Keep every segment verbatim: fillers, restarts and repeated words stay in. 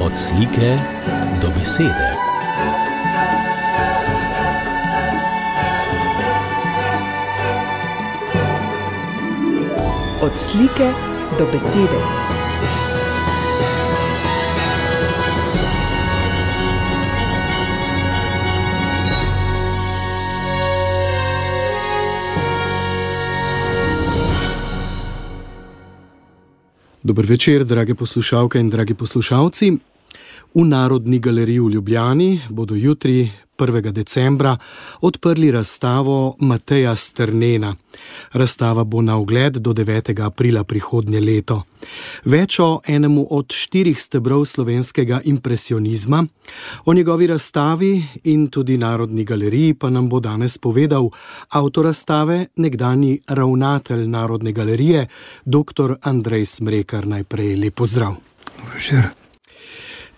Od slike do besede. Od slike do besede. Dober večer, drage poslušalke in dragi poslušalci. V Narodni galeriji v Ljubljani bodo jutri, prvega decembra, odprli razstavo Mateja Strnena. Razstava bo na ogled do devetega aprila prihodnje leto. Več o enemu od štirih stebrov slovenskega impresionizma, o njegovi razstavi in tudi Narodni galeriji pa nam bo danes povedal avtor razstave, nekdanji ravnatelj Narodne galerije, doktor Andrej Smrekar. Najprej lep pozdrav. Dober večer.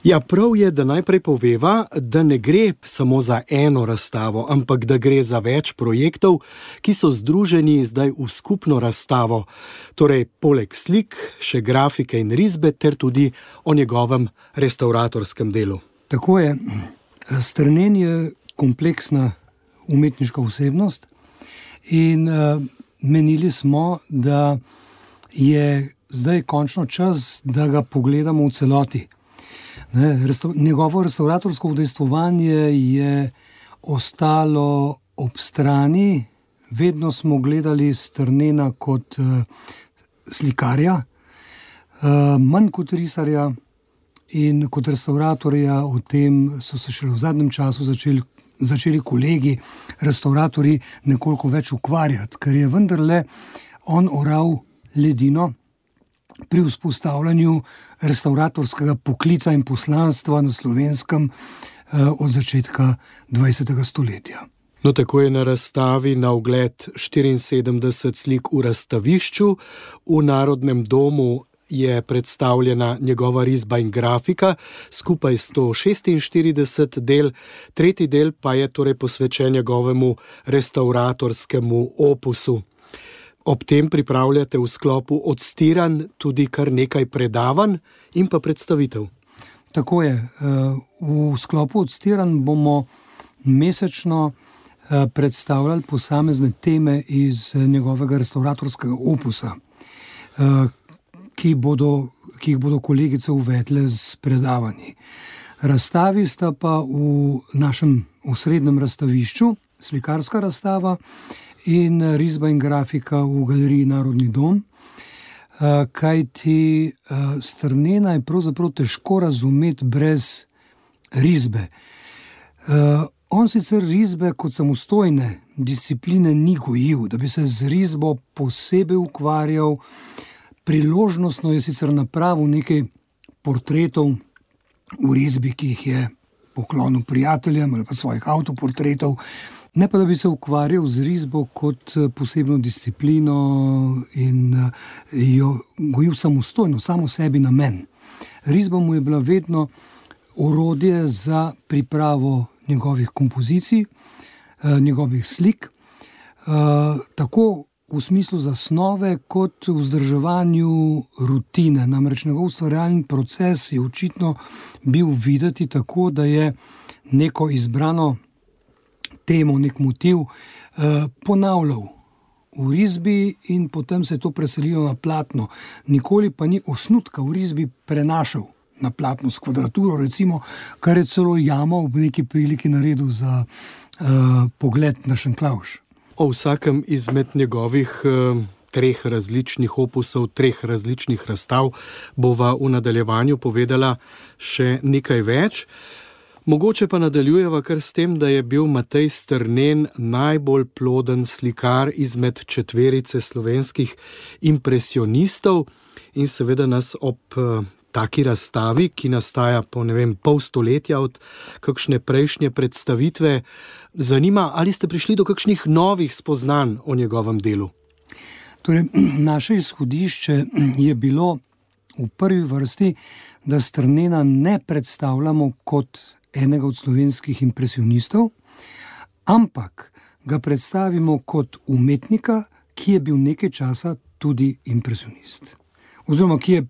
Ja, prav je, da najprej poveva, da ne gre samo za eno razstavo, ampak da gre za več projektov, ki so združeni zdaj v skupno razstavo. Torej, poleg slik, še grafike in risbe, ter tudi o njegovem restauratorskem delu. Tako je. Strnen je kompleksna umetniška osebnost in uh, menili smo, da je zdaj končno čas, da ga pogledamo v celoti. Ne, restav, njegovo restauratorsko udejstvovanje je ostalo ob strani. Vedno smo gledali Strnena kot uh, slikarja, uh, manj kot risarja in kot restauratorja. O tem so se šele v zadnjem času začeli, začeli kolegi, restauratorji, nekoliko več ukvarjati, ker je vendarle on oral ledino pri vzpostavljanju restauratorskega poklica in poslanstva na Slovenskem eh, od začetka dvajsetega stoletja. No, tako je na razstavi na ogled štiriinsedemdeset slik v razstavišču. V Narodnem domu je predstavljena njegova risba in grafika, skupaj sto šestinštirideset del, tretji del pa je torej posvečen njegovemu restauratorskemu opusu. Ob tem pripravljate v sklopu odstiranj tudi kar nekaj predavanj in pa predstavitev. Tako je. V sklopu odstiranj bomo mesečno predstavljali posamezne teme iz njegovega restauratorskega opusa, ki, bodo, ki jih bodo kolegice uvedle z predavanji. Razstavi sta pa v našem osrednjem razstavišču, slikarska razstava in risba in grafika v galeriji Narodni dom, kajti Strnena je pravzaprav težko razumeti brez risbe. On sicer risbe kot samostojne discipline ni gojil, da bi se z risbo posebej ukvarjal. Priložnostno je sicer napravil nekaj portretov v risbi, ki jih je poklonil prijateljem ali pa svojih avtoportretov, ne pa da bi se ukvarjal z risbo kot posebno disciplino in jo gojil samostojno, samo sebi namen. Risba mu je bila vedno orodje za pripravo njegovih kompozicij, njegovih slik, tako v smislu zasnove kot v vzdrževanju rutine. Namreč njegov ustvarjalni proces je očitno bil videti tako, da je neko izbrano temo, nek motiv eh, ponavljal v risbi in potem se je to preselilo na platno. Nikoli pa ni osnutka v risbi prenašal na platno s kvadraturo, recimo, kar je celo Jama v neki priliki naredil za eh, pogled na Šenklauš. O vsakem izmed njegovih eh, treh različnih opusov, treh različnih razstav bova v nadaljevanju povedala še nekaj več. Mogoče pa nadaljujeva kar s tem, da je bil Matej Strnen najbolj ploden slikar izmed četverice slovenskih impresionistov in seveda nas ob uh, taki razstavi, ki nastaja po ne vem, pol stoletja od kakšne prejšnje predstavitve, zanima, ali ste prišli do kakšnih novih spoznanj o njegovem delu? Torej, naše izhodišče je bilo v prvi vrsti, da Strnena ne predstavljamo kot enega od slovenskih impresionistov, ampak ga predstavimo kot umetnika, ki je bil nekaj časa tudi impresionist. Oziroma, ki je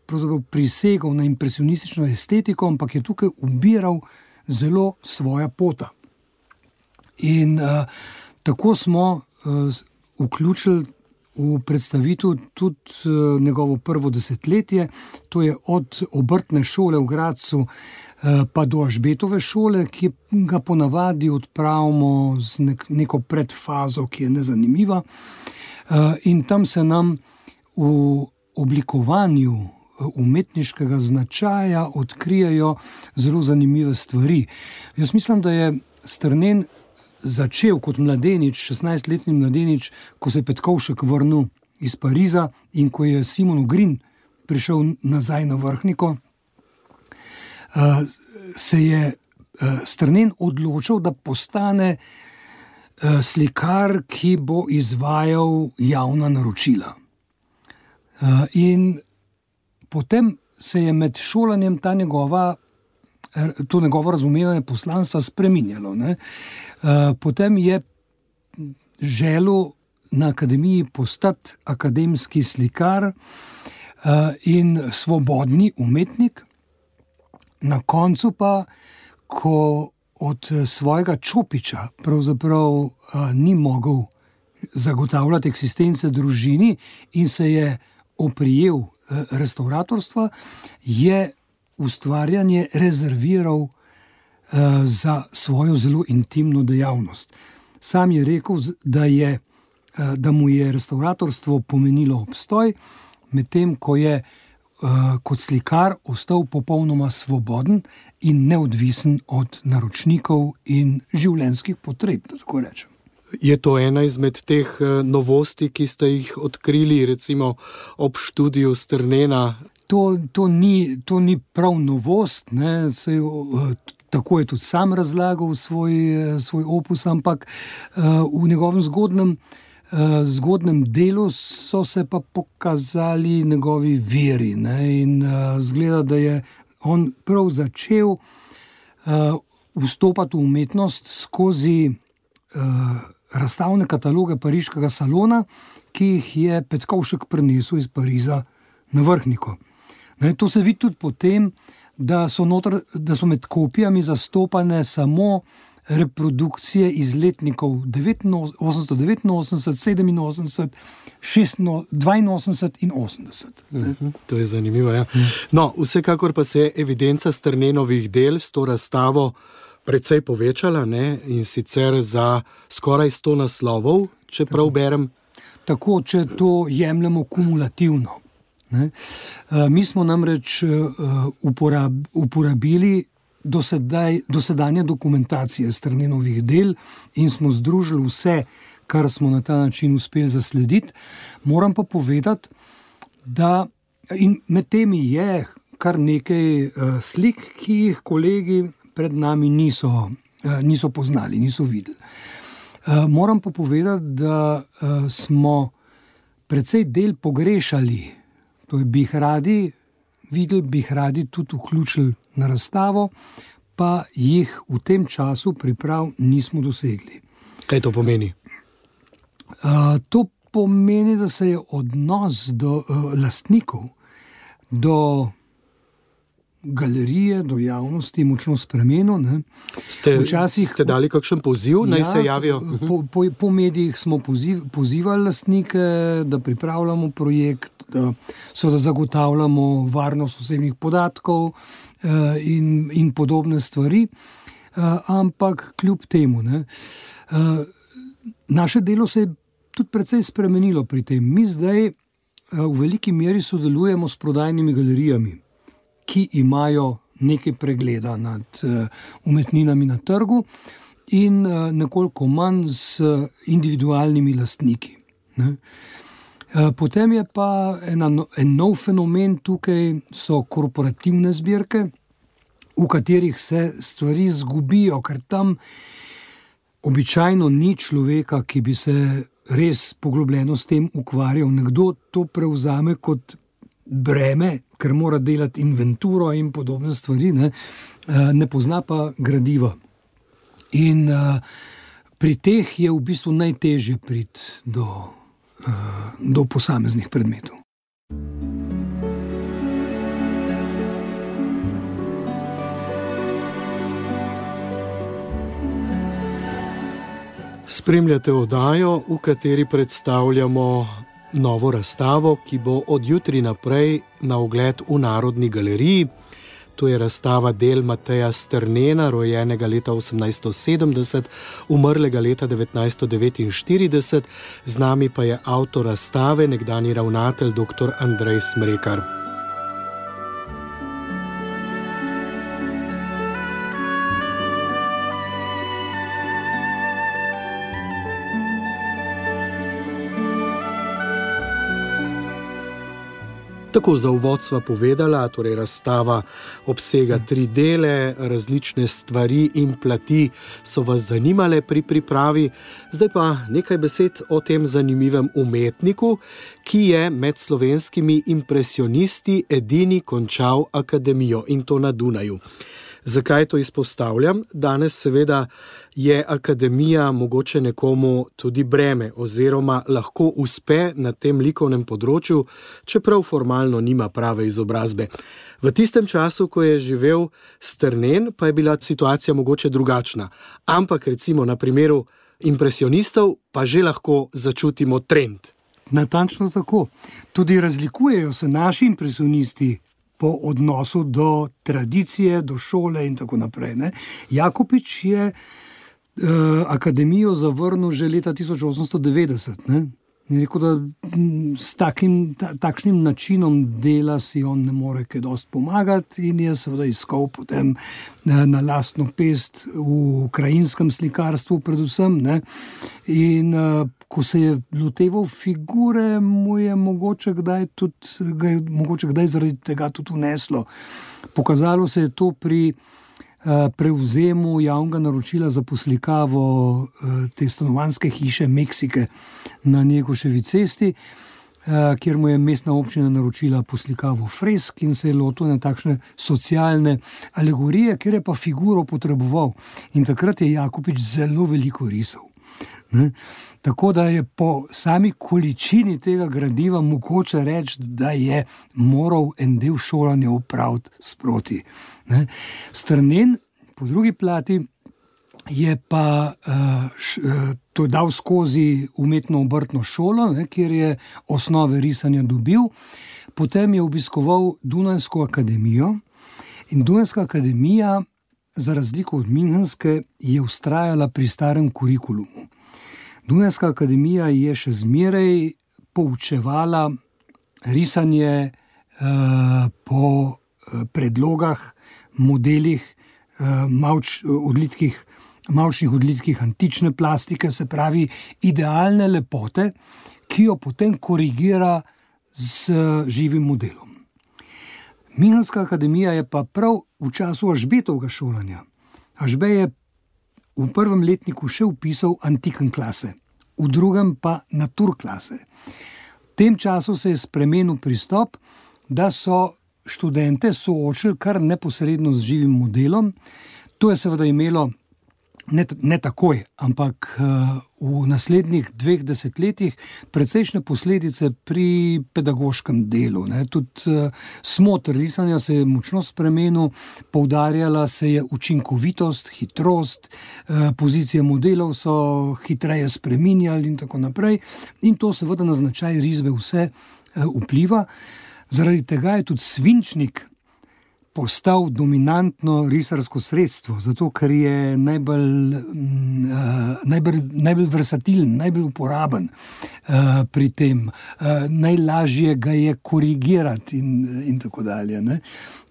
pravzaprav prisegal na impresionistično estetiko, ampak je tukaj ubiral zelo svoja pota. In uh, tako smo uh, vključili v predstavitev tudi uh, njegovo prvo desetletje, to je od obrtne šole v Gradcu uh, pa do Ažbetove šole, ki ga ponavadi odpravimo z nek, neko predfazo, ki je nezanimiva. Uh, in tam se nam v oblikovanju umetniškega značaja odkrijajo zelo zanimive stvari. Jaz mislim, da je Strnen začel kot mladenič, šestnajstletni mladenič, ko se je Petkovšek vrnil iz Pariza in ko je Simon Ogrin prišel nazaj na Vrhniko, se je Strnen odločil, da postane slikar, ki bo izvajal javna naročila. In potem se je med šolanjem ta njegova to njegovo razumevanje poslanstva spreminjalo. Ne? Potem je želel na akademiji postati akademski slikar in svobodni umetnik. Na koncu pa, ko od svojega Čopiča pravzaprav ni mogel zagotavljati eksistence družini in se je oprijel restauratorstva, je ustvarjanje rezerviral uh, za svojo zelo intimno dejavnost. Sam je rekel, da, je, uh, da mu je restauratorstvo pomenilo obstoj, medtem ko je uh, kot slikar ostal popolnoma svoboden in neodvisen od naročnikov in življenjskih potreb, da tako rečem. Je to ena izmed teh novosti, ki ste jih odkrili, recimo ob študiju Strnena? To, to, ni, to ni prav novost, ne? Sej, tako je tudi sam razlagal svoj, svoj opus, ampak v njegovem zgodnem, zgodnem delu so se pa pokazali njegovi viri. Ne? In zgleda, da je on prav začel vstopati v umetnost skozi razstavne kataloge pariškega salona, ki jih je Petkovšek prinesel iz Pariza na Vrhniko. Ne, to se vidi tudi potem, da so, notr, da so med kopijami zastopane samo reprodukcije iz letnikov osemnajststo devetinosemdeset, sedeminosemdeset, dvainosemdeset in osemdeset. Mhm, to je zanimivo, ja. No, vsekakor pa se je evidenca Strnenovih del s to razstavo precej povečala, ne? In sicer za skoraj sto naslovov, če prav berem. Tako, če to jemljemo kumulativno. Ne? Mi smo namreč uporab, uporabili dosedaj, dosedanje dokumentacije Strnenovih del in smo združili vse, kar smo na ta način uspeli zaslediti. Moram pa povedati, da in med temi je kar nekaj slik, ki jih kolegi pred nami niso, niso poznali, niso videli. Moram pa povedati, da smo precej del pogrešali. To je, bi jih radi videli, bi jih radi tudi vključili na razstavo, pa jih v tem času priprav nismo dosegli. Kaj to pomeni? Uh, to pomeni, da se je odnos do uh, lastnikov, do galerije, do javnosti močno spremenil. Ne? Ste, Včasih, ste dali kakšen poziv, naj ja, se javijo? Po, po, po medijih smo poziv, pozivali lastnike, da pripravljamo projekt, da seveda zagotavljamo varnost osebnih podatkov uh, in, in podobne stvari, uh, ampak kljub temu, ne, uh, naše delo se je tudi precej spremenilo pri tem. Mi zdaj uh, v veliki meri sodelujemo s prodajnimi galerijami, ki imajo nekaj pregleda nad uh, umetninami na trgu in uh, nekoliko manj s individualnimi lastniki. Ne. Uh, potem je pa ena, en nov fenomen tukaj, so korporativne zbirke, v katerih se stvari zgubijo, ker tam običajno ni človeka, ki bi se res poglobljeno s tem ukvarjal. Nekdo to prevzame kot breme, ker mora delati inventuro in podobne stvari, ne, ne pozna pa gradiva. In uh, pri teh je v bistvu najtežje priti do, uh, do posameznih predmetov. Spremljate oddajo, v kateri predstavljamo novo razstavo, ki bo od jutri naprej na ogled v Narodni galeriji. To je razstava del Mateja Strnena, rojenega leta osemnajststo sedemdeset, umrlega leta devetnajststo devetinštirideset. Z nami pa je avtor razstave, nekdanji ravnatelj doktor Andrej Smrekar. Tako za uvod sva povedala, torej razstava obsega tri dele, različne stvari in plati so vas zanimale pri pripravi. Zdaj pa nekaj besed o tem zanimivem umetniku, ki je med slovenskimi impresionisti edini končal akademijo, in to na Dunaju. Zakaj to izpostavljam? Danes seveda je akademija mogoče nekomu tudi breme oziroma lahko uspe na tem likovnem področju, čeprav formalno nima prave izobrazbe. V tistem času, ko je živel Strnen, pa je bila situacija mogoče drugačna. Ampak recimo na primeru impresionistov pa že lahko začutimo trend. Natančno tako. Tudi razlikujejo se naši impresionisti po odnosu do tradicije, do šole in tako naprej. Ne? Jakopič je uh, akademijo zavrnil že leta tisoč osemsto devetdeset. Ne? Je rekel, da s takim, ta, takšnim načinom dela si on ne more kaj dosti pomagati, in je seveda iskal potem na, na lastno pest v krajinskem slikarstvu predvsem. Ne? In uh, ko se je loteval figure, mu je mogoče kdaj, tudi, ga je mogoče kdaj zaradi tega tudi uneslo. Pokazalo se je to pri uh, prevzemu javnega naročila za poslikavo uh, te stanovanjske hiše Meksike na Njegoševi cesti, uh, kjer mu je mestna občina naročila poslikavo fresk in se je lotil na takšne socialne alegorije, kjer je pa figuro potreboval. In takrat je Jakopič zelo veliko risal. Ne? Tako da je po sami količini tega gradiva mogoče reči, da je moral en del šolanja opraviti sproti. Ne? Strnen, po drugi plati, je pa uh, š, uh, to dal skozi umetno obrtno šolo, ne, kjer je osnove risanja dobil. Potem je obiskoval Dunajsko akademijo in Dunajska akademija, za razliko od Münchenske, je vztrajala pri starem kurikulumu. Dunajska akademija je še zmeraj poučevala risanje uh, po uh, predlogah, modelih, uh, mavč, odlitkih, mavčnih odlitkih antične plastike, se pravi idealne lepote, ki jo potem korigira z uh, živim modelom. Münchenska akademija je pa prav v času Ažbetovega šolanja. Ažbe je v prvem letniku še vpisal antiken klase, v drugem pa naturklase. V tem času se je spremenil pristop, da so študente soočili kar neposredno z živim modelom. To je seveda imelo ne, ne takoj, ampak uh, v naslednjih dveh desetletjih precejšnje posledice pri pedagoškem delu. Ne. Tudi uh, smotr risanja se je močno spremenil, poudarjala se je učinkovitost, hitrost, uh, pozicije modelov so hitreje spreminjali in tako naprej. In to seveda na značaj risbe vse uh, vpliva. Zaradi tega je tudi svinčnik postal dominantno risarsko sredstvo, zato ker je najbolj, uh, najbolj, najbolj versatilen, najbolj uporaben uh, pri tem. Uh, najlažje ga je korigirati in, in tako dalje. Ne?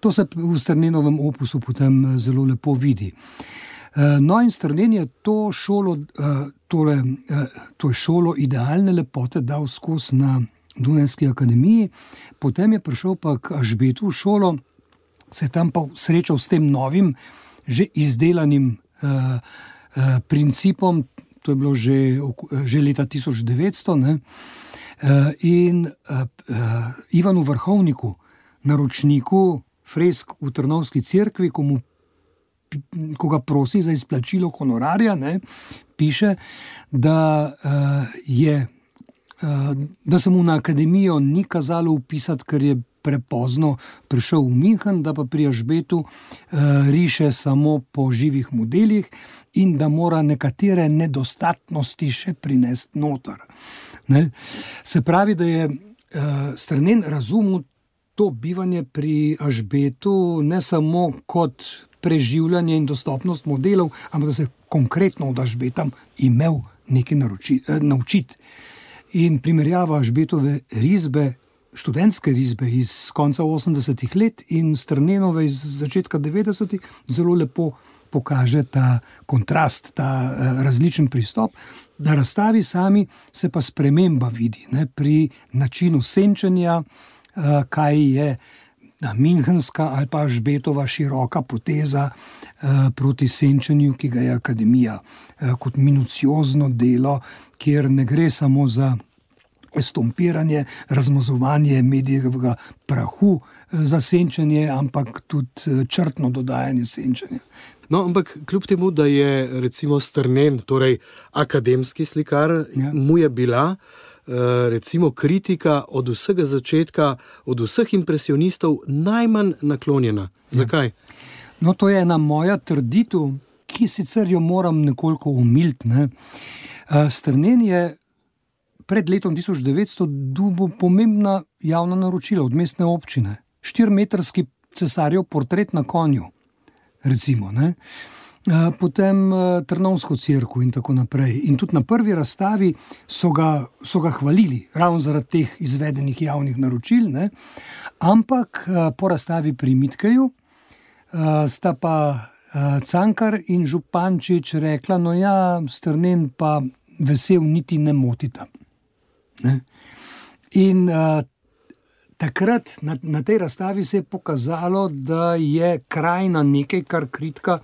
To se v Strnenovem opusu potem zelo lepo vidi. Uh, no in Strnen je to šolo, uh, tole, uh, to šolo idealne lepote dal skozi na Dunajski akademiji, potem je prišel pa k Ažbetu v šolo, se je tam pa srečal s tem novim, že izdelanim uh, uh, principom, to je bilo že, že leta tisoč devetsto, ne? Uh, in uh, uh, Ivanu Vrhovniku, naročniku fresk v Trnovski cerkvi, ko, mu, ko ga prosi za izplačilo honorarja, ne? Piše, da uh, je, uh, da se mu na akademijo ni kazalo vpisati, ker je prepozno prišel v München, da pa pri Ažbetu uh, riše samo po živih modelih in da mora nekatere nedostatnosti še prinesti noter. Ne? Se pravi, da je uh, Strnen razumel to bivanje pri Ažbetu ne samo kot preživljanje in dostopnost modelov, ampak da se konkretno od Ažbeta imel nekaj naroči, eh, naučiti. In primerjava Ažbetove risbe, študentske risbe iz konca osemdesetih let in Strnenove iz začetka devetdesetih zelo lepo pokaže ta kontrast, ta eh, različen pristop. Na razstavi sami se pa sprememba vidi, ne, pri načinu senčenja, eh, kaj je münchenska ali pa Ažbetova široka poteza eh, proti senčenju, ki ga je akademija eh, kot minuciozno delo, kjer ne gre samo za estompiranje, razmazovanje medijevega prahu eh, za senčenje, ampak tudi črtno dodajanje senčenja. No, ampak kljub temu, da je recimo Strnen, torej akademski slikar, ja. mu je bila recimo kritika od vsega začetka, od vseh impresionistov najmanj naklonjena. Zakaj? No, to je ena moja trditev, ki sicer jo moram nekoliko umiliti. Ne? Strnen je pred letom tisoč devetsto dobil pomembna javna naročila od mestne občine. Štirimetrski cesarjev portret na konju, recimo, ne? Potem Trnovsko cerkev in tako naprej. In tudi na prvi razstavi so ga, so ga hvalili, ravno zaradi teh izvedenih javnih naročil, ne? Ampak po razstavi pri Mitkeju sta pa Cankar in Župančič rekla, no ja, Strnen pa vesel niti ne motita. Ne? In uh, takrat na, na tej razstavi se je pokazalo, da je krajina nekaj, kar kritika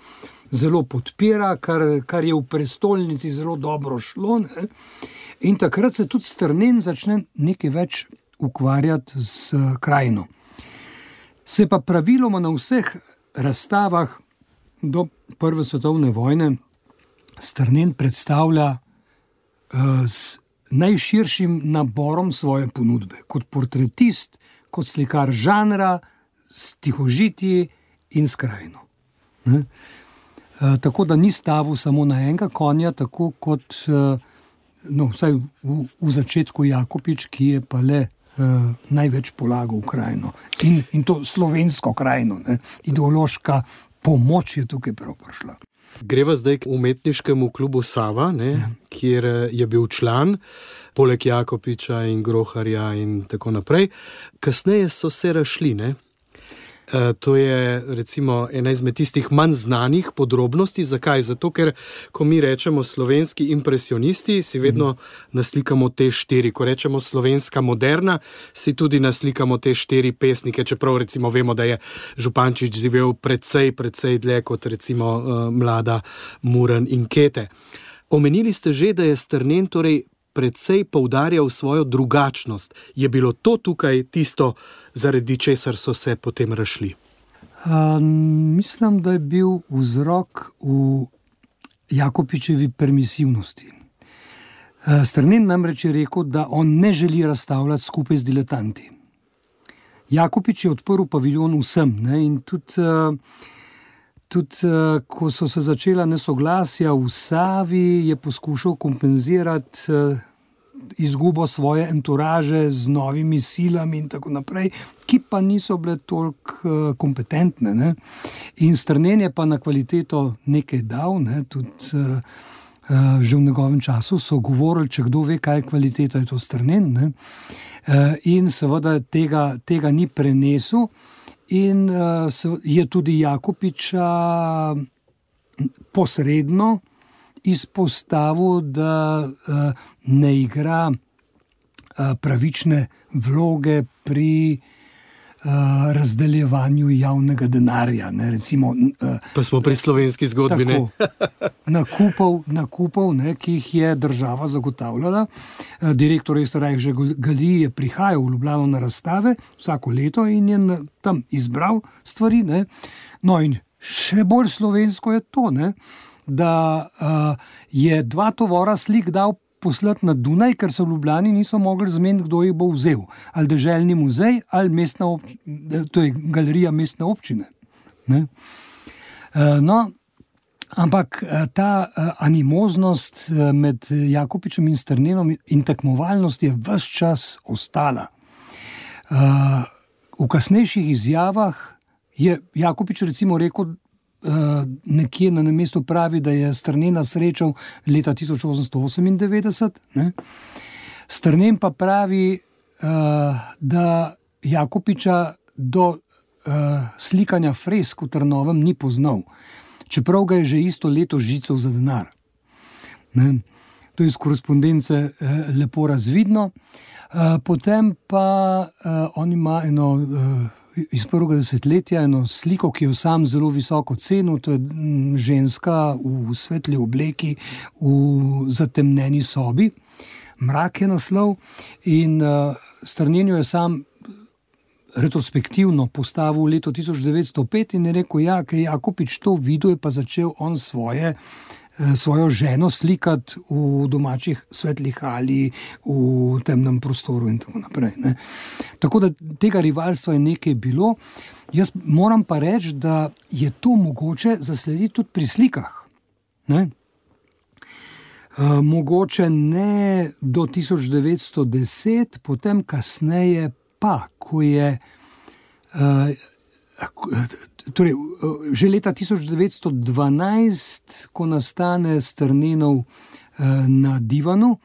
zelo podpira, kar, kar je v prestolnici zelo dobro šlo. Ne? In takrat se tudi Strnen začne nekaj več ukvarjati s krajino. Se pa praviloma na vseh razstavah do prve svetovne vojne Strnen predstavlja uh, s najširšim naborom svoje ponudbe. Kot portretist, kot slikar žanra, s tihožitji in s krajino. Ne? Uh, tako da ni stavil samo na enega konja, tako kot uh, no, vsaj v, v začetku Jakopič, ki je pa le uh, največ polagal v krajino. In, in to slovensko krajino. Ne? Ideološka pomoč je tukaj prav prišla. Greva zdaj k umetniškemu klubu Sava, ne, ja. kjer je bil član, poleg Jakopiča in Groharja in tako naprej. Kasneje so se razšli, ne? E, to je recimo ena izmed tistih manj znanih podrobnosti. Zakaj? Zato, ker ko mi rečemo slovenski impresionisti, si vedno mhm. naslikamo te štiri. Ko rečemo slovenska moderna, si tudi naslikamo te štiri pesnike, čeprav recimo vemo, da je Župančič živel precej, precej dlje kot recimo uh, mlada Muren in Kete. Omenili ste že, da je Strnen torej precej poudarjal svojo drugačnost. Je bilo to tukaj tisto, zaradi česar so se potem razšli? Uh, mislim, da je bil vzrok v Jakopičevi permisivnosti. Uh, Strnen namreč je rekel, da on ne želi razstavljati skupaj z diletanti. Jakopič je odprl paviljon vsem, ne, in tudi, uh, tudi uh, ko so se začela nesoglasja v Savi, je poskušal kompenzirati uh, izgubo svoje enturaže z novimi silami in tako naprej, ki pa niso bile toliko uh, kompetentne. Ne. In Strnen je pa na kvaliteto nekaj dal, ne, tudi uh, uh, že v njegovem času so govorili, če kdo ve, kaj je kvaliteta, je to Strnen. Ne. Uh, in seveda tega, tega ni prenesel in uh, je tudi Jakopiča posredno izpostavil, da uh, ne igra uh, pravične vloge pri uh, razdeljevanju javnega denarja. Ne, recimo, uh, pa smo pri slovenski zgodbi, tako, ne? nakupov, nakupov ne, ki jih je država zagotavljala. Uh, direktor Österreichische Galerie je prihajal v Ljubljano na razstave vsako leto in je na, tam izbral stvari. Ne. No in še bolj slovensko je to, ne, da uh, je dva tovora slik dal poslati na Dunaj, ker so v Ljubljani niso mogli zmeniti, kdo jih bo vzel. Ali deželni muzej, ali mestna občina, to je galerija mestne občine. Ne? No, ampak ta animoznost med Jakopičem in Strnenom in tekmovalnost je ves čas ostala. V kasnejših izjavah je Jakopič recimo rekel, nekje na mestu pravi, da je Strnena srečal leta tisoč osemsto osemindevetdeset. Ne? Strnen pa pravi, da Jakopiča do slikanja fresk v Trnovem ni poznal, čeprav ga je že isto leto žical za denar. Ne? To je iz korespondence lepo razvidno. Potem pa on ima eno iz prvega desetletja eno sliko, ki jo sam zelo visoko cenil, to je ženska v svetli obleki v zatemnjeni sobi. Mrak je naslov in uh, Strnen jo je sam retrospektivno postavil v leto tisoč devetsto pet in je rekel, ja, ker Jakopič to videl, je pa začel on svoje svojo ženo slikati v domačih svetlih ali v temnem prostoru in tako naprej. Ne. Tako da tega rivalstva je nekaj bilo. Jaz moram pa reči, da je to mogoče zaslediti tudi pri slikah. Ne. E, mogoče ne do tisoč devetsto deset, potem kasneje pa, ko je e, Torej, že leta tisoč devetsto dvanajst, ko nastane Strnenov na divanu,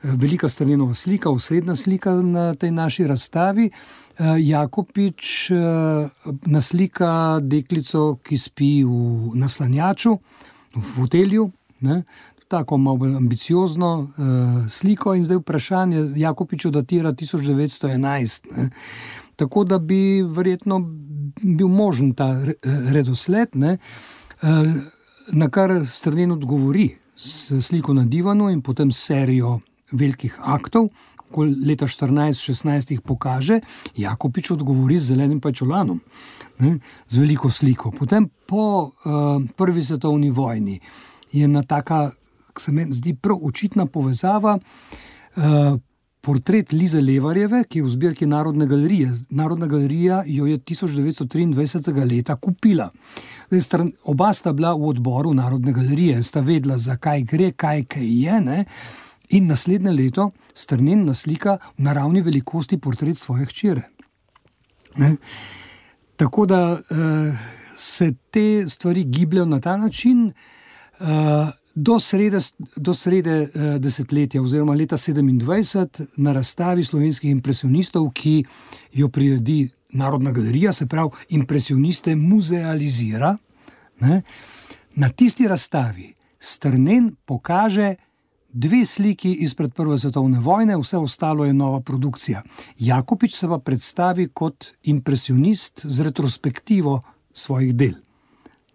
velika Strnenova slika, osrednja slika na tej naši razstavi, Jakopič naslika deklico, ki spi v naslanjaču, v fotelju, ne? Tako malo ambiciozno sliko in zdaj vprašanje Jakopiču datira tisoč devetsto enajst. Ne? Tako da bi verjetno bil možen ta redosled, ne, na kar Strnen odgovori s sliko na divanu in potem serijo velikih aktov, ko leta štirinajst šestnajst jih pokaže, Jakopič odgovori z zelenim pajčolanom, ne, z veliko sliko. Potem po uh, prvi svetovni vojni je na taka, se meni zdi prav očitna povezava, uh, portret Lize Levarjeve, ki je v zbirki Narodne galerije. Narodna galerija jo je tisoč devetsto triindvajset leta kupila. Zdaj, oba sta bila v odboru Narodne galerije, sta vedela, zakaj gre, kaj kaj je, ne? In naslednje leto Strnen naslika v naravni velikosti portret svoje hčere. Ne? Tako da uh, se te stvari gibljajo na ta način, uh, Do srede, do srede eh, desetletja oziroma leta sedemindvajset na razstavi slovenskih impresionistov, ki jo priredi Narodna galerija, se pravi impresioniste muzealizira, ne, na tisti razstavi Strnen pokaže dve sliki izpred prve svetovne vojne, vse ostalo je nova produkcija. Jakopič se pa predstavi kot impresionist z retrospektivo svojih del.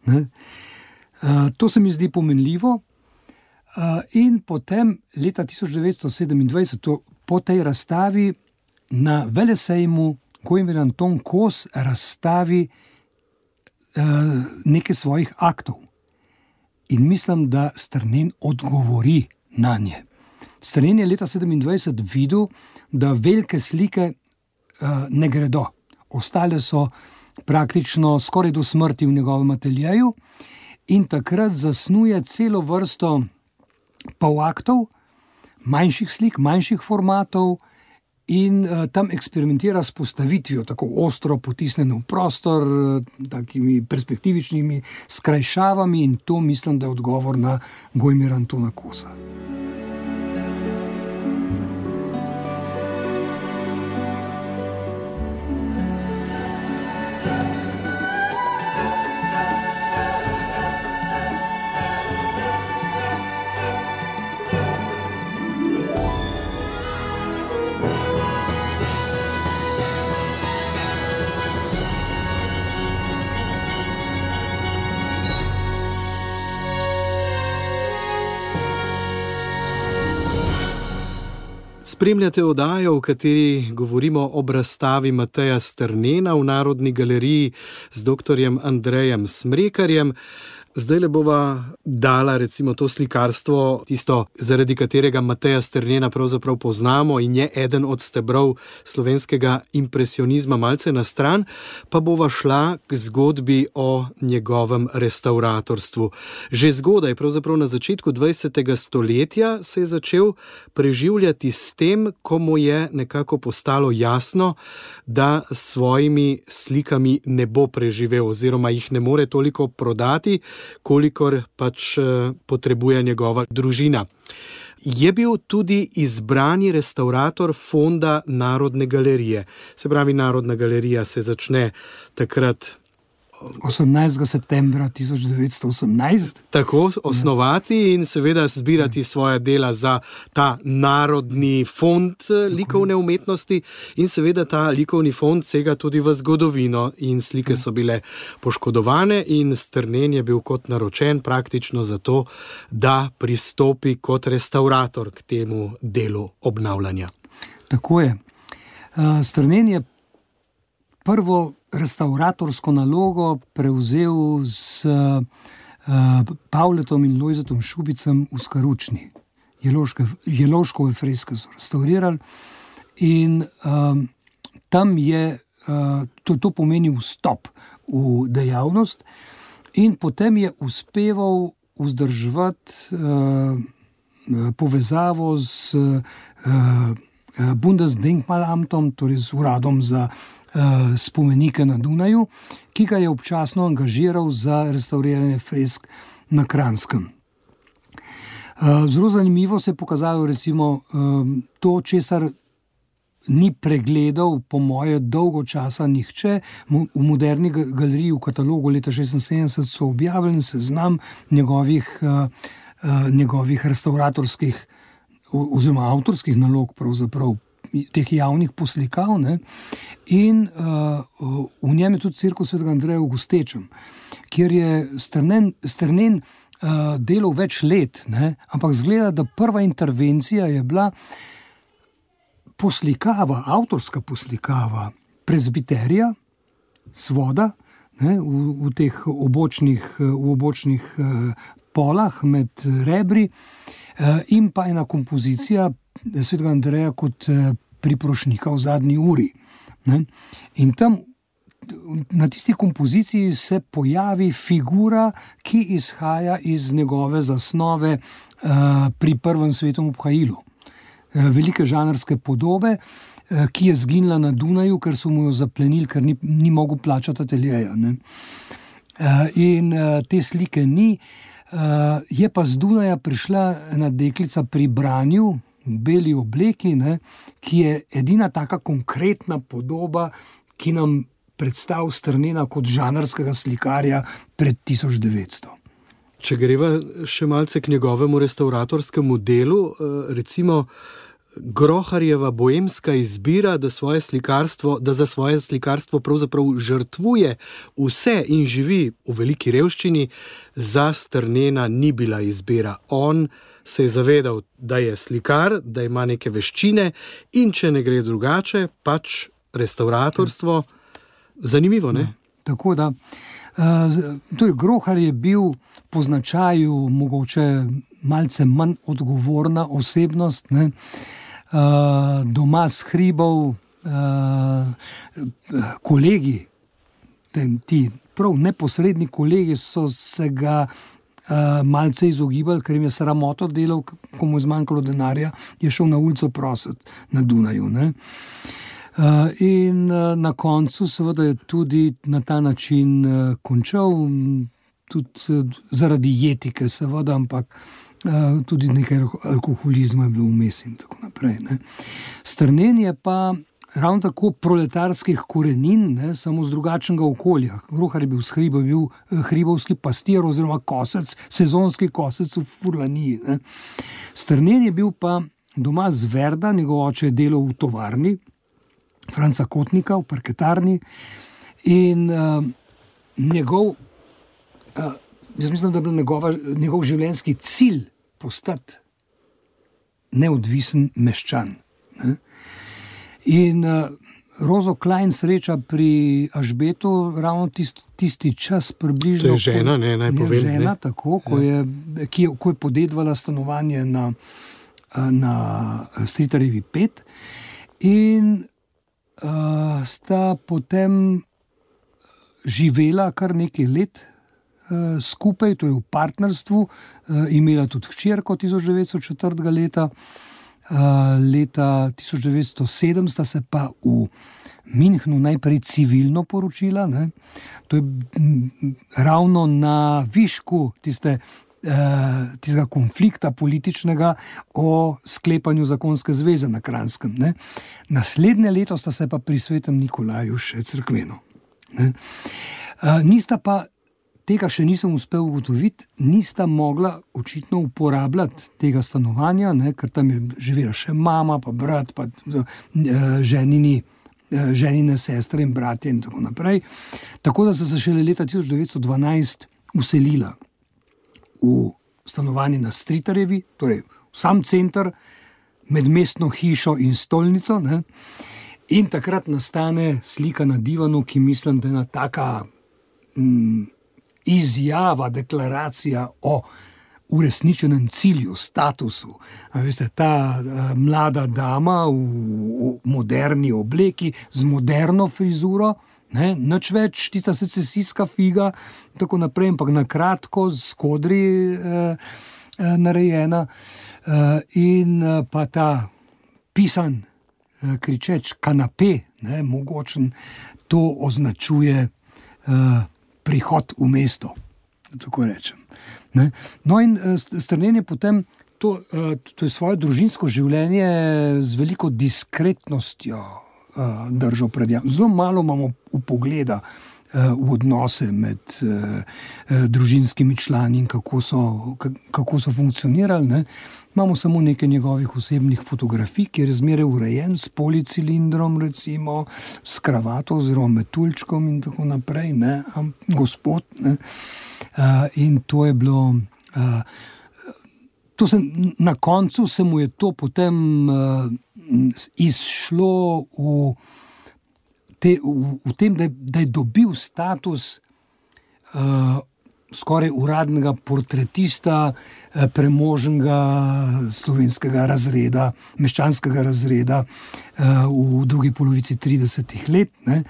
Ne. Uh, to se mi zdi pomenljivo. Uh, in potem leta tisoč devetsto sedemindvajset to, po tej razstavi na velesejmu Gojmir Anton Kos razstavi uh, nekaj svojih aktov. In mislim, da Strnen odgovori na nje. Strnen je leta sedemindvajset videl, da velike slike uh, ne gredo. Ostale so praktično skoraj do smrti v njegovem ateljeju in takrat zasnuje celo vrsto polaktov, manjših slik, manjših formatov in uh, tam eksperimentira s postavitvijo, tako ostro potisnjeno v prostor, uh, takimi perspektivičnimi skrajšavami in to mislim, da je odgovor na Gojmira Antona Kosa. Spremljate oddajo, v kateri govorimo o razstavi Mateja Strnena v Narodni galeriji z doktorjem Andrejem Smrekarjem. Zdaj le bova dala recimo to slikarstvo, tisto, zaradi katerega Mateja Strnena pravzaprav poznamo in je eden od stebrov slovenskega impresionizma, malce na stran, pa bova šla k zgodbi o njegovem restauratorstvu. Že zgodaj, pravzaprav na začetku dvajsetega stoletja, se je začel preživljati s tem, ko mu je nekako postalo jasno, da s svojimi slikami ne bo preživel oziroma jih ne more toliko prodati, kolikor pač potrebuje njegova družina. Je bil tudi izbrani restaurator fonda Narodne galerije. Se pravi, Narodna galerija se začne takrat osemnajstega septembra tisoč devetsto osemnajst. Tako osnovati in seveda zbirati svoja dela za ta narodni fond likovne umetnosti in seveda ta likovni fond sega tudi v zgodovino in slike so bile poškodovane in Strnen je bil kot naročen praktično zato, da pristopi kot restaurator k temu delu obnavljanja. Tako je. Strnen je prvo restauratorsko nalogo prevzel s uh, Pavletom in Lojzetom Šubicem v Skaručni. Jeloške, Jeloškove freske so restaurirali in um, tam je, uh, to, to pomeni vstop v dejavnost in potem je uspeval vzdrževati uh, povezavo z uh, Bundesdenkmalamtom, torej z uradom za spomenike na Dunaju, ki ga je občasno angažiral za restauriranje fresk na Kranskem. Zelo zanimivo se je pokazalo recimo to, česar ni pregledal po moje dolgo časa nihče. V Moderni galeriji v katalogu leta šestinsedemdeset so objavljeni seznam njegovih, njegovih restauratorskih oziroma avtorskih nalog pravzaprav teh javnih poslikav, ne? In uh, v njem je tudi Cirkus svetega Andreja v Gostečem, kjer je Strnen, Strnen uh, delal več let, ne? Ampak zgleda, da prva intervencija je bila poslikava, avtorska poslikava prezbiterija, svoda, ne? V, v teh obočnih, v obočnih uh, polah med rebri uh, in pa ena kompozicija svetega Andreja kot priprošnika v zadnji uri. Ne? In tam na tisti kompoziciji se pojavi figura, ki izhaja iz njegove zasnove uh, pri prvem svetovnem obhajilu. Uh, velike žanrske podobe, uh, ki je zginila na Dunaju, ker so mu jo zaplenili, ker ni, ni mogel plačati ateljeja. Ne? Uh, in uh, te slike ni. Uh, je pa z Dunaja prišla ena deklica pri branju, v beli obleki, ne, ki je edina taka konkretna podoba, ki nam predstavlja Strnena kot žanrskega slikarja pred tisoč devetsto. Če greva še malce k njegovemu restauratorskemu delu, recimo Groharjeva boemska izbira, da, svoje slikarstvo, da za svoje slikarstvo pravzaprav žrtvuje vse in živi v veliki revščini, za Strnena ni bila izbira. On se je zavedal, da je slikar, da ima neke veščine in če ne gre drugače, pač restauratorstvo. Zanimivo, ne? Tako da. Uh, torej, Grohar je bil po značaju mogoče malce manj odgovorna osebnost, ne? Uh, doma s hribov, uh, kolegi, ten, ti prav neposredni kolegi so se ga Uh, malce izogibali, ker jim je sramoto delal, ko mu je zmanjkalo denarja, je šel na ulico prositi na Dunaju. Ne? Uh, in uh, na koncu seveda je tudi na ta način uh, končal, tudi uh, zaradi jetike seveda, ampak uh, tudi nekaj alkoholizma je bilo vmes in tako naprej. Ne? Strnen je pa ravno tako proletarskih korenin, ne, samo z drugačnega okolja. Grohar je bil s hriba, bil hribovski pastir oziroma kosec, sezonski kosec v Furlaniji. Ne. Strnen je bil pa doma z Verda, njegov oče je delal v tovarni, Franca Kotnika v parketarni in uh, njegov, uh, jaz mislim, da je bil njegova, njegov življenjski cilj postati neodvisen meščan. Ne. In uh, Rozo Klein sreča pri Ažbetu ravno tisti, tisti čas približno. To je žena, ne, naj povem. Žena, ne. tako, ko je, ki je, ko je podedvala stanovanje na, na Stritarjevi pet in uh, sta potem živela kar nekaj let uh, skupaj, to je v partnerstvu, uh, imela tudi hčerko tisoč devetsto četrtega leta. Uh, leta tisoč devetsto sedem sta se pa v Münchnu najprej civilno poročila. Ne? To je m, ravno na višku tiste, uh, tistega konflikta političnega o sklepanju zakonske zveze na Kranjskem. Ne? Naslednje leto sta se pa pri svetem Nikolaju še crkveno. Ne? Uh, nista pa, tega še nisem uspel ugotoviti, nista mogla očitno uporabljati tega stanovanja, ne, ker tam je živela še mama, pa brat, pa uh, ženini, uh, ženine sestre in bratje in tako naprej. Tako da so se šele leta tisoč devetsto dvanajst uselila v stanovanje na Stritarjevi, torej v sam center, med mestno hišo in stolnico. Ne. In takrat nastane slika na divanu, ki mislim, da je ena taka mm, izjava, deklaracija o uresničenem cilju, statusu. A veste, ta a, mlada dama v, v moderni obleki, z moderno frizuro, ne, nič več, tista secesijska figa, tako naprej, ampak na kratko, z kodri e, e, narejena e, in e, pa ta pisan, e, kričeč kanape, ne, mogočen, to označuje e, prihod v mesto, tako rečem. Ne? No in Strnen je potem to, to je svoje družinsko življenje z veliko diskretnostjo držal pred javnostjo. Zelo malo imamo upogleda v odnose med družinskimi člani in kako so, kako so funkcionirali. Ne? Imamo samo nekaj njegovih osebnih fotografij, ki je zmeraj urejen s policilindrom, recimo, s kravato oziroma metuljčkom in tako naprej, ne, gospod. Ne. Uh, in to je bilo, uh, to se, na koncu se mu je to potem uh, izšlo v, te, v, v tem, da je, da je dobil status uh, skoraj uradnega portretista premožnega slovenskega razreda, meščanskega razreda v drugi polovici tridesetih let, ne,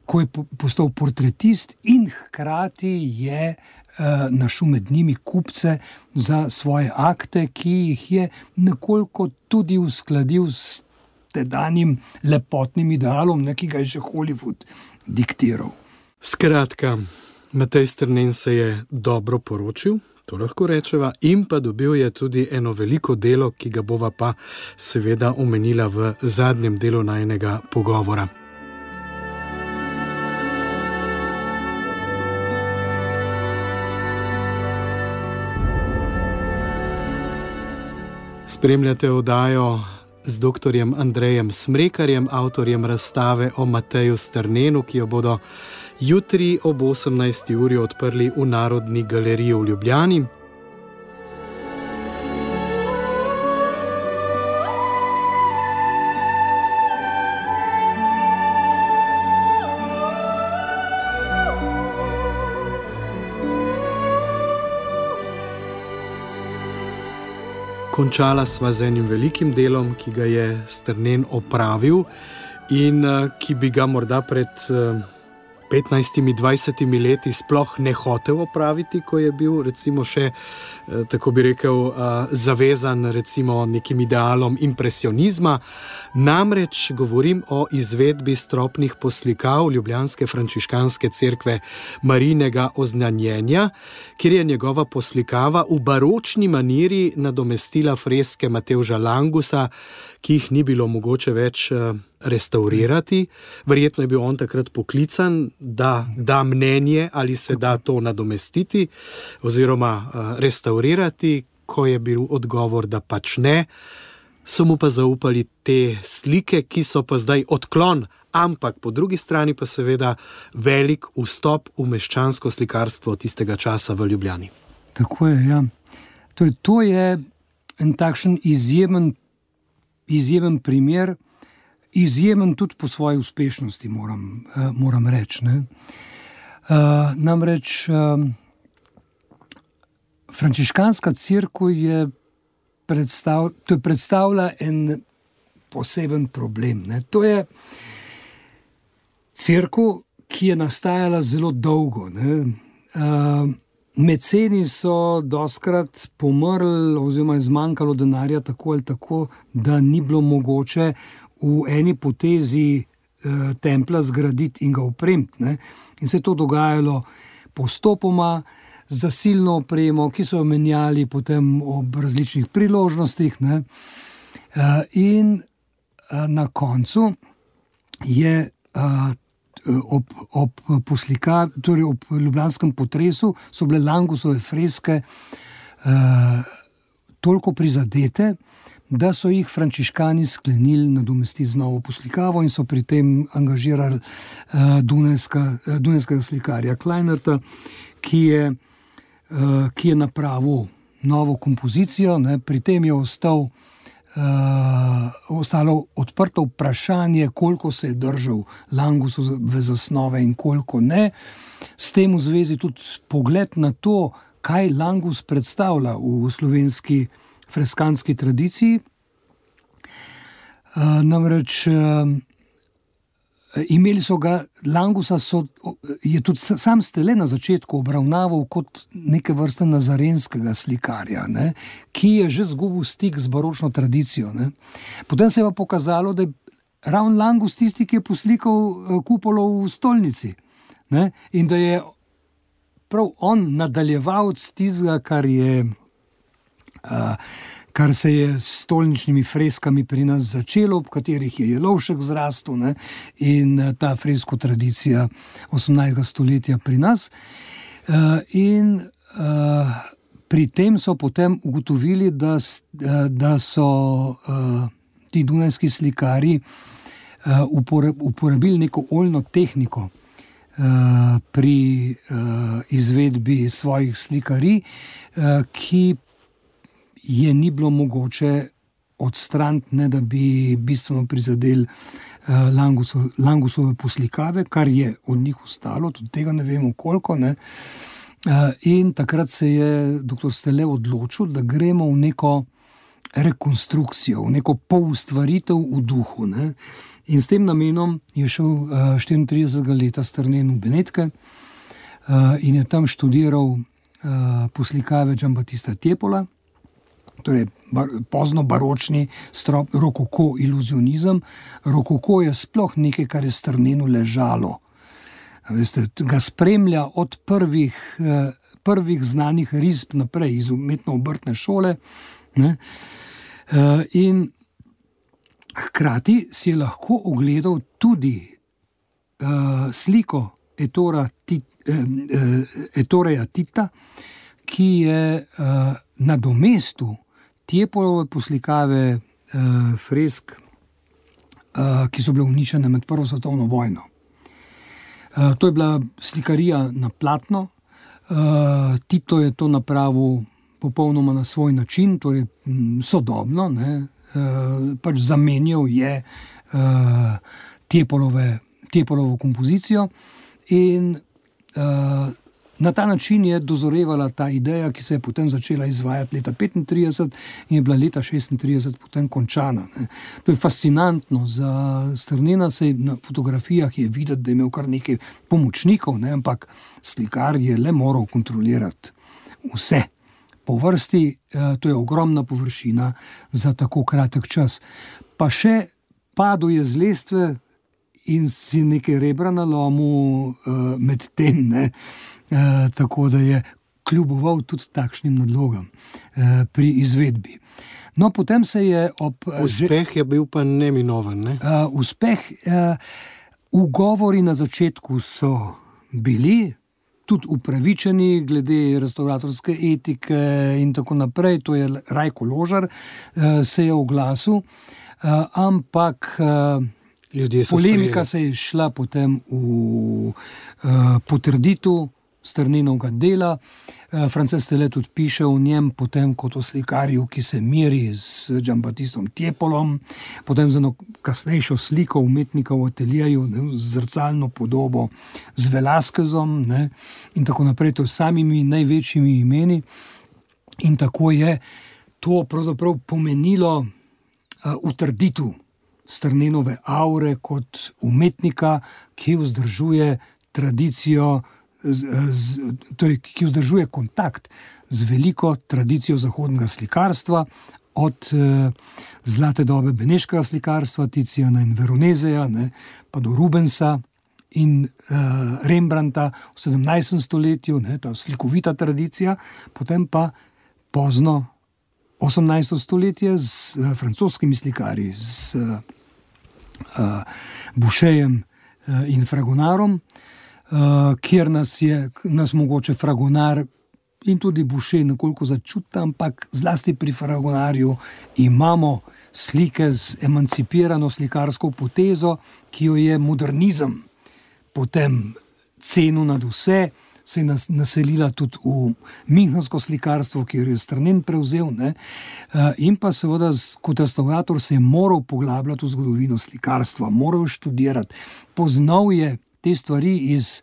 ko je postal portretist in hkrati je našel med njimi kupce za svoje akte, ki jih je nekoliko tudi uskladil s tedanjim lepotnim idealom, ne, ki ga je že Hollywood diktiral. Skratka, Matej Strnen se je dobro poročil, to lahko rečeva, in pa dobil je tudi eno veliko delo, ki ga bova pa seveda omenila v zadnjem delu najinega pogovora. Spremljate oddajo z doktorjem Andrejem Smrekarjem, avtorjem razstave o Mateju Strnenu, ki jo bodo jutri ob osemnajsti uri odprli v Narodni galeriji v Ljubljani. Končala sva z enim velikim delom, ki ga je Strnen opravil in ki bi ga morda pred petnajstimi, dvajsetimi leti sploh ne hotel opraviti, ko je bil recimo še, tako bi rekel, zavezan recimo nekim idealom impresionizma. Namreč govorim o izvedbi stropnih poslikav ljubljanske frančiškanske cerkve Marijinega oznanjenja, kjer je njegova poslikava v baročni maniri nadomestila freske Matevža Langusa, ki jih ni bilo mogoče več restaurirati. Verjetno je bil on takrat poklican, da da mnenje, ali se da to nadomestiti oziroma restaurirati. Ko je bil odgovor, da pač ne, so mu pa zaupali te slike, ki so pa zdaj odklon, ampak po drugi strani pa seveda velik vstop v meščansko slikarstvo tistega časa v Ljubljani. Tako je, ja. To je, to je en takšen izjemen, izjemen primer izjemen tudi po svoji uspešnosti, moram, uh, moram reči. Uh, namreč uh, frančiškanska cerkev je, predstav, to je predstavlja en poseben problem. Ne? To je cerkev, ki je nastajala zelo dolgo. Uh, meceni so dostkrat pomrli oziroma je zmanjkalo denarja tako ali tako, da ni bilo mogoče v eni potezi uh, templa zgraditi in ga opremiti. Ne? In se je to dogajalo postopoma z zasilno opremo, ki so jo menjali potem ob različnih priložnostih. Ne? Uh, in uh, na koncu je uh, Ob, ob, poslika, torej ob ljubljanskem potresu so bile Langusove freske uh, toliko prizadete, da so jih frančiškani sklenili nadomestiti z novo poslikavo in so pri tem angažirali uh, dunajska, uh, dunajskega slikarja Kleinerta, ki je, uh, ki je napravil novo kompozicijo. Ne. Pri tem je ostal Uh, ostalo odprto vprašanje, koliko se je držal Langusove zasnove in koliko ne. S tem v zvezi tudi pogled na to, kaj Langus predstavlja v slovenski freskanski tradiciji. Uh, namreč uh, imeli so ga, Langusa so, je tudi sam Stele na začetku obravnaval kot neke vrste nazarenskega slikarja, ne, ki je že zgubil stik z baročno tradicijo. Ne. Potem se je pa pokazalo, da je ravno Langus tisti, ki je poslikal kupolo v stolnici. Ne, in da je prav on nadaljevalec tistega, kar je uh, kar se je s stolničnimi freskami pri nas začelo, v katerih je Jelovšek zrastel, ne, in ta fresko tradicija osemnajstega stoletja pri nas. Uh, in uh, pri tem so potem ugotovili, da, da so uh, ti dunajski slikari uh, uporabili neko oljno tehniko uh, pri uh, izvedbi svojih slikarij, uh, ki je ni bilo mogoče odstraniti, ne da bi bistveno prizadeli uh, Langusove, Langusove poslikave, kar je od njih ostalo, tudi tega ne vemo koliko. Ne. Uh, in takrat se je doktor Stele odločil, da gremo v neko rekonstrukcijo, v neko poustvaritev v duhu. Ne. In s tem namenom je šel uh, štiriintridesetega leta strnen v Benetke uh, in je tam študiral uh, poslikave Giambattista Tiepola, torej bar, pozno baročni strop, rokoko iluzionizem. Rokoko je sploh nekaj, kar je strnenu ležalo. Veste, ga spremlja od prvih, eh, prvih znanih risb naprej iz umetno-obrtne šole. Ne? Eh, in hkrati si je lahko ogledal tudi eh, sliko Ettora Tit, eh, eh, Ettoreja Tita, ki je eh, na domestu Tiepolove poslikave uh, fresk, uh, ki so bile uničene med prvo svetovno vojno. Uh, to je bila slikarija na platno. Uh, Tito je to napravil popolnoma na svoj način, torej m, sodobno. Ne? Uh, pač zamenjal je uh, Tiepolove, Tiepolovo kompozicijo in uh, na ta način je dozorevala ta ideja, ki se je potem začela izvajati leta petintrideset in je bila leta šestintrideset potem končana. Ne. To je fascinantno. Za Strnena se na fotografijah je videti, da je imel kar nekaj pomočnikov, ne, ampak slikar je le moral kontrolirati vse. Po vrsti, to je ogromna površina za tako kratek čas. Pa še padel je z lestve in si nekaj rebra nalomil med tem, ne. Uh, tako da je kljuboval tudi takšnim nadlogam uh, pri izvedbi. No, potem se je ob... Uspeh je bil pa neminoven, ne? Uh, uspeh, uh, ugovori na začetku so bili, tudi upravičeni glede restauratorske etike in tako naprej, to je Rajko Ložar, uh, se je oglasil, uh, ampak... Uh, Polemika sprejeli. Se je šla potem v uh, potrditev Strnenovega dela. Frances Tele tudi piše o njem, potem kot o slikarju, ki se meri z Giambattistom Tiepolom, potem za eno kasnejšo sliko umetnika v ateljeju, ne, z zrcalno podobo, z Velasquezom, ne, in tako naprej, to s samimi največjimi imeni. In tako je to pravzaprav pomenilo uh, utrditev Strnenove aure kot umetnika, ki vzdržuje tradicijo, Z, z, torej, ki vzdržuje kontakt z veliko tradicijo zahodnega slikarstva, od eh, zlate dobe beneškega slikarstva, Tiziana in Veronezeja, ne, pa do Rubensa in eh, Rembrandta v sedemnajstem stoletju, ne, ta slikovita tradicija, potem pa pozno osemnajsto stoletje z eh, francoskimi slikarji, z eh, Boucherom eh, in Fragonarom, Uh, kjer nas je, nas mogoče Fragonar in tudi Boucher nekoliko začuta, ampak zlasti pri Fragonarju imamo slike z emancipirano slikarsko potezo, ki jo je modernizem potem cenil nad vse, se je nas, naselila tudi v münchensko slikarstvo, kjer je Strnen prevzel, ne? Uh, in pa seveda kot restaurator se je moral poglabljati v zgodovino slikarstva, moral študirati, poznal je te stvari iz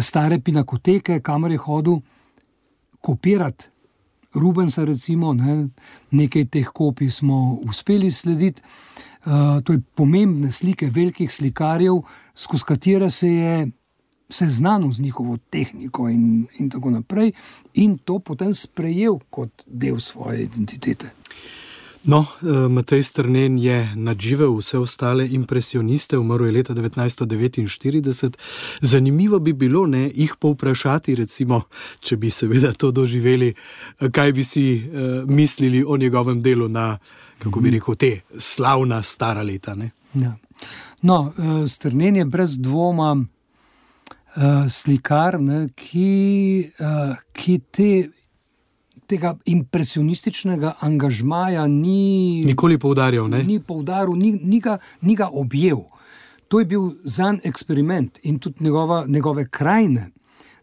stare pinakoteke, kamor je hodil kopirati Rubensa, recimo, ne, nekaj teh kopij smo uspeli slediti. Uh, to je pomembne slike velikih slikarjev, skozi katere se je seznanil z njihovo tehniko in, in tako naprej, in to potem sprejel kot del svoje identitete. No, Matej Strnen je nadživel vse ostale impresioniste, umrl je leta devetnajststo devetinštirideset. Zanimivo bi bilo, ne, jih povprašati, recimo, če bi seveda to doživeli, kaj bi si uh, mislili o njegovem delu na, kako bi rekel, te slavna stara leta. Ne? Ja. No, uh, Strnen je brez dvoma uh, slikar, ne, ki, uh, ki te tega impresionističnega angažmaja ni nikoli poudarjal, ne? Ni poudaril, ni, ni, ga, ni ga objel. To je bil zanj eksperiment in tudi njegova, njegove krajine,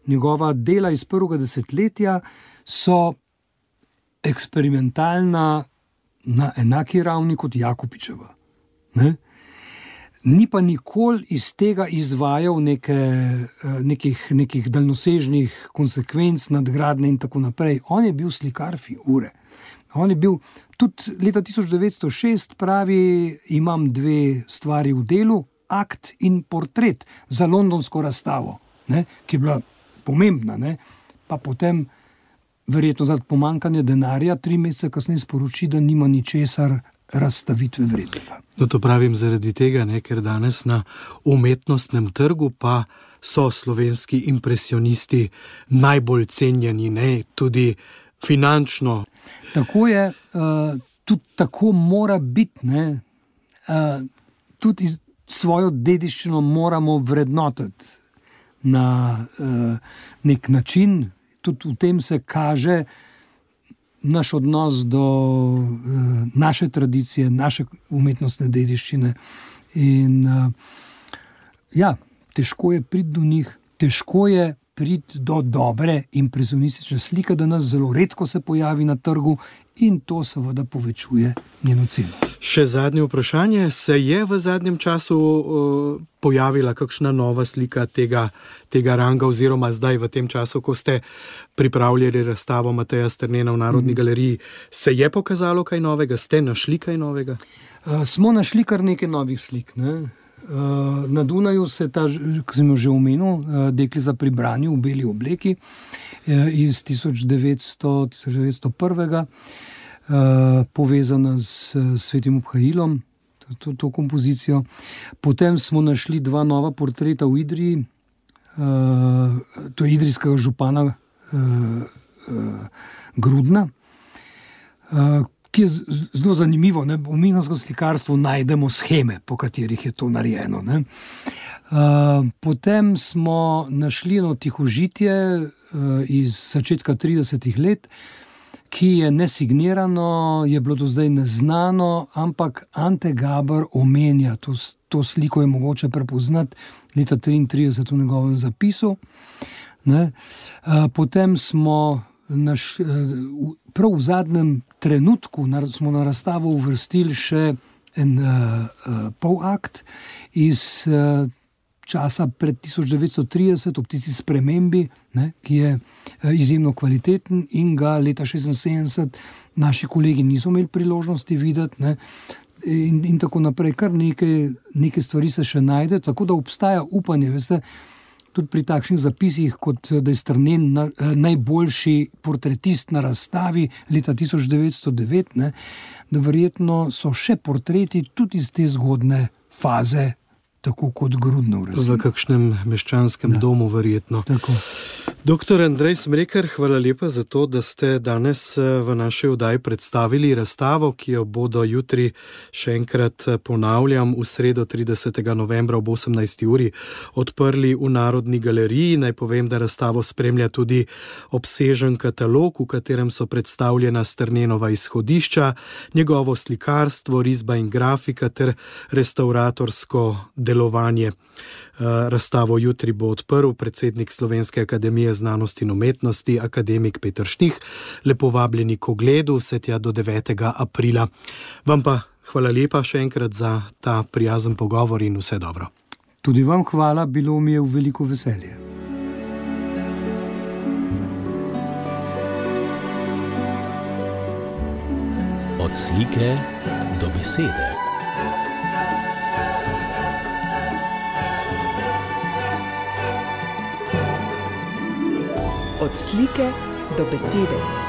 njegova dela iz prvega desetletja so eksperimentalna na enaki ravni kot Jakopičeva. Ne? Ni pa nikoli iz tega izvajal neke, nekih, nekih daljnosežnih konsekvenc, nadgradnje in tako naprej. On je bil slikar figure. On je bil, tudi leta tisoč devetsto šest pravi, imam dve stvari v delu, akt in portret za londonsko razstavo, ne, ki je bila pomembna, ne, pa potem verjetno zaradi pomanjkanja denarja tri mesece kasneje sporoči, da nima ničesar razstavitve vrednega. No, to pravim zaradi tega, ne, ker danes na umetnostnem trgu pa so slovenski impresionisti najbolj cenjeni, ne, tudi finančno. Tako je, uh, tudi tako mora biti, ne, uh, tudi svojo dediščino moramo vrednotiti na uh, nek način, tudi v tem se kaže naš odnos do uh, naše tradicije, naše umetnostne dediščine. In uh, ja, težko je priti do njih, težko je priti do dobre impresionistične slike, da nas zelo redko se pojavi na trgu in to seveda povečuje njeno ceno. Še zadnje vprašanje, se je v zadnjem času uh, pojavila kakšna nova slika tega, tega ranga oziroma zdaj v tem času, ko ste pripravljali razstavo Mateja Strnena v Narodni mm. galeriji, se je pokazalo kaj novega? Ste našli kaj novega? Uh, smo našli kar nekaj novih slik, ne? Uh, na Dunaju se ta, ki sem jo že omenil, uh, Deklica pri branju v beli obleki uh, iz tisoč devetsto prvega, uh, povezana s uh, Svetim Obhajilom, to, to, to kompozicijo. Potem smo našli dva nova portreta v Idriji, uh, to je idrijskega župana uh, uh, Grudna, uh, ki je zelo zanimivo. Ne? V münchensko slikarstvu najdemo sheme, po katerih je to narejeno. Ne? Uh, potem smo našli eno tihožitje uh, iz začetka tridesetih let, ki je nesignirano, je bilo do zdaj neznano, ampak Ante Gaber omenja, to, to sliko je mogoče prepoznati leta triintrideset v njegovem zapisu, Ne? Potem smo naš, prav v zadnjem trenutku smo na razstavo uvrstili še en uh, polakt iz uh, časa pred tisoč devetsto trideset, ob tisti spremembi, ne, ki je uh, izjemno kvaliteten in ga leta šestinsedemdeset naši kolegi niso imeli priložnosti videti, ne, in, in tako naprej. Kar nekaj, nekaj stvari se še najde, tako da obstaja upanje, veste, tudi pri takšnih zapisih, kot da je Strnen na, najboljši portretist na razstavi leta tisoč devetsto devet, ne, da verjetno so še portreti tudi iz te zgodne faze, tako kot Grudnov. V kakšnem meščanskem da. domu verjetno. Tako. Doktor Andrej Smrekar, hvala lepa za to, da ste danes v naši oddaji predstavili razstavo, ki jo bodo jutri, še enkrat ponavljam, v sredo tridesetega novembra ob osemnajsti uri odprli v Narodni galeriji. Naj povem, da razstavo spremlja tudi obsežen katalog, v katerem so predstavljena Strnenova izhodišča, njegovo slikarstvo, risba in grafika ter restauratorsko delovanje. Razstavo jutri bo odprl predsednik Slovenske akademije znanosti in umetnosti, akademik Peter Štih. Lepo vabljeni k ogledu, vse tja do devetega aprila. Vam pa hvala lepa še enkrat za ta prijazen pogovor in vse dobro. Tudi vam hvala, bilo mi je v veliko veselje. Od slike do besede. Od slike do besede.